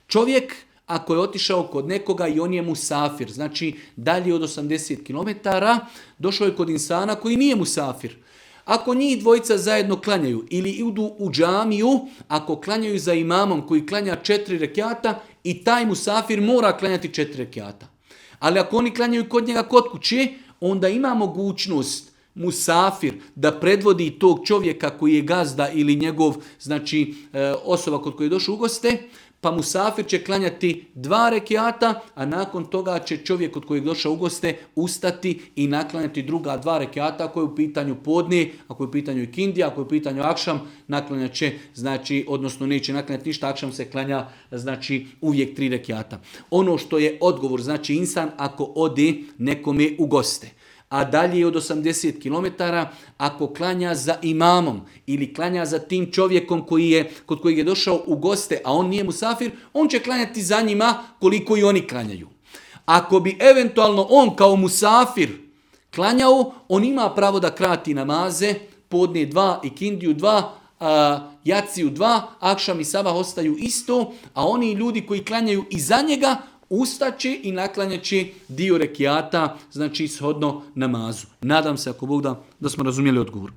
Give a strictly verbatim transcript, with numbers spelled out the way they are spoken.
Čovjek ako je otišao kod nekoga i on je musafir, znači dalje od osamdeset kilometara, došao je kod insana koji nije musafir. Ako njih dvojica zajedno klanjaju ili idu u džamiju, ako klanjaju za imamom koji klanja četiri rekiata, i taj musafir mora klanjati četiri rekiata. Ali ako oni klanjaju kod njega kod kuće, onda ima mogućnost musafir da predvodi tog čovjeka koji je gazda ili njegov, znači osoba kod koje je došao u goste, pa musafir će klanjati dva rekiata, a nakon toga će čovjek kod kojeg došao u goste ustati i naklanjati druga dva rekiata, ako je u pitanju podne, ako je u pitanju ikindija, ako je u pitanju akšam, naklanjat će, znači, odnosno neće naklanjati ništa, akšam se klanja, znači, uvijek tri rekiata. Ono što je odgovor, znači, insan ako ode nekome u goste, a dalje od osamdeset kilometara, ako klanja za imamom ili klanja za tim čovjekom koji je, kod kojeg je došao u goste, a on nije musafir, on će klanjati za njima koliko i oni klanjaju. Ako bi eventualno on kao musafir klanjao, on ima pravo da krati namaze, podne dva, ikindiju dva, a, jaciju dva, akšam i sabah ostaju isto, a oni ljudi koji klanjaju iza njega, ustaće i naklanjaće dio rekiata, znači shodno namazu. Nadam se, ako Bog da, da smo razumjeli odgovor.